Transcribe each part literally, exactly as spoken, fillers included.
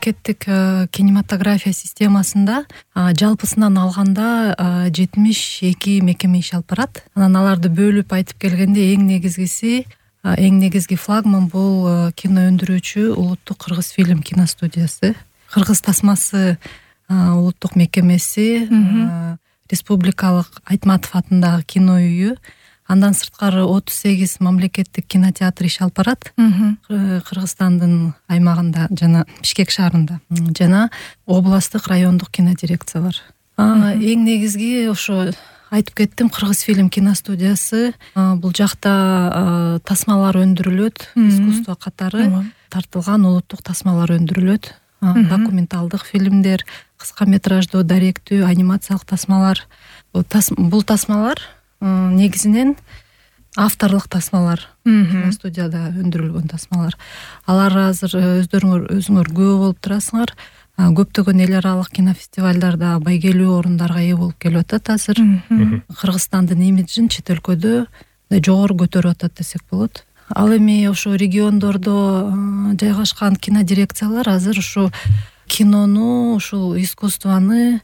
мамлекеттик кинематография системасында жалпысынан алганда жетимиш эки мекеме иш алып барат. Анан аларды бөлүп айтып келгенде эң негизгиси, эң негизги флагман бул кино өндүрүүчү Улуттук Кыргыз фильм киностудиясы, Кыргыз тасмасы улуттук мекемеси, Республикалык Айтматов атындагы кино үйү. Андан сырткары отуз сегиз мамлекеттик кинотеатр иш алып барат. Кыргызстандын аймагында жана Бишкек шаарында жана областтык райондук кинодирекция бар. Эң негизги ошо айтып кеттим, Кыргыз фильм киностудиясы. Бул жакта тасмалар өндүрүлөт, искусство катары тартылган улуттук тасмалар өндүрүлөт. Документалдык фильмдер, кыска метраждуу, даректүү, анимациялык тасмалар. Бул тасмалар негизинен авторлук тасмалар, студияда өндүрүлгөн тасмалар. Алар азыр өздөрүңөр өзүңөр күбө болуп турасыңар. Көптөгөн эл аралык кинофестивалдарда байгелүү орундарга ээ болуп келип атат азыр. Кыргызстандын имиджин чет өлкөдө жогору көтөрүп атат десек болот. Ал эми ошо региондордо жайгашкан кинодирекциялар азыр ушу кинону, ушул искусствону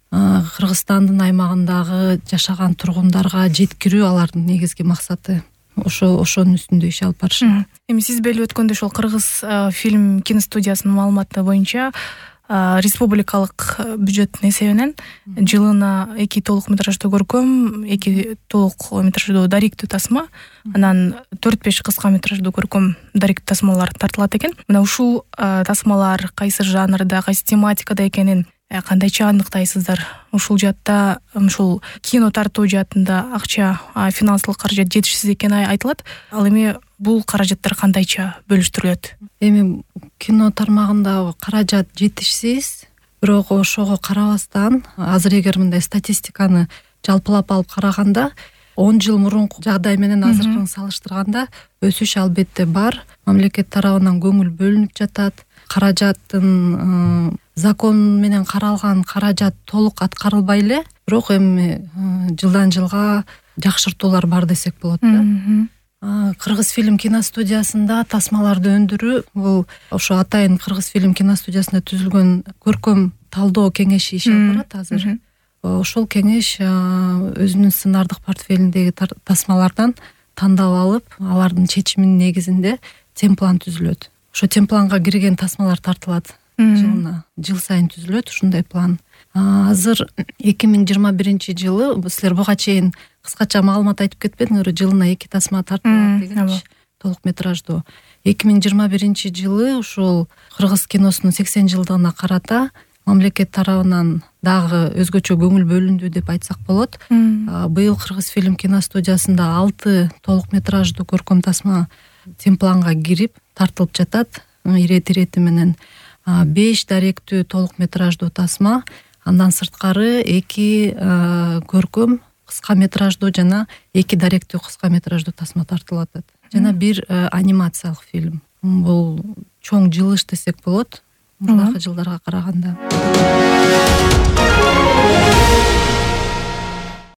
Кыргызстандын аймагындагы жашаган тургундарга жеткирүү алардын негизги максаты. Ошо ошонун үстүндө иш алып барышат. Эми сиз белип өткөндөй ошол Кыргыз фильм киностудиясынын маалыматы боюнча республикалык бюджеттин эсебинен жылына эки толук метраждуу көркөм, эки толук метраждуу даректүү тасма, анан төрт беш кыска метраждуу көркөм даректүү тасмалар тартылат экен. Мына ушул тасмалар кайсы жанрда, кайсы тематикада экенин кандайча аныктайсыздар? Ушул жаатта ушул кино тартуу жаатында акча, финансылык каражат жетишсиз экени айтылат. Ал эми бул каражаттар кандайча бөлүштүрүлөт? Эми кино тармагында каражат жетишсиз, бирок ошого карабастан азыр эгер мындай статистиканы жалпылап алып караганда, он жыл мурунку жагдай менен азыркын салыштырганда өсүш албетте бар. Мамлекет тарабынан көңүл бөлүнүп жатат. Каражаттын закон менен каралган каражат толук аткарылбай эле, бирок эми жылдан жылга жакшыртуулар бар десек болот да. Кыргыз фильм киностудиясында тасмаларды өндүрүү бул ошо атайын Кыргыз фильм киностудиясында түзүлгөн көркөм талдоо кеңеши иш алып барат азыр. Ошол кеңеш өзүнүн сценардык портфелиндеги тасмалардан тандап алып, алардын чечиминин негизинде темплан түзүлөт. Ошо темпланга кирген тасмалар тартылат. Жылына, жыл сайын түзүлөт ушундай план. Азыр эки миң жыйырма биринчи жылы силер буга чейин кыскача маалымат айтып кетпедиңерби, жылына эки тасма тартылат деген толук метраждуу. эки миң жыйырма биринчи жылы ушул кыргыз киносунун сексен жылдыгына карата мамлекет тарабынан дагы өзгөчө көңүл бөлүндү деп айтсак болот. Быйыл Кыргыз фильм киностудиясында алты толук метраждуу көркөм тасма темпланга кирип тартылып жатат. Ирети-ирети менен беш даректүү толук метраждуу тасма, андан сырткары эки көркөм кыска метраждуу жана эки даректүү кыска метраждуу тасма тартылып атат. Жана бир анимациялык фильм. Бул чоң жылыш десек болот мурдагы жылдарга караганда.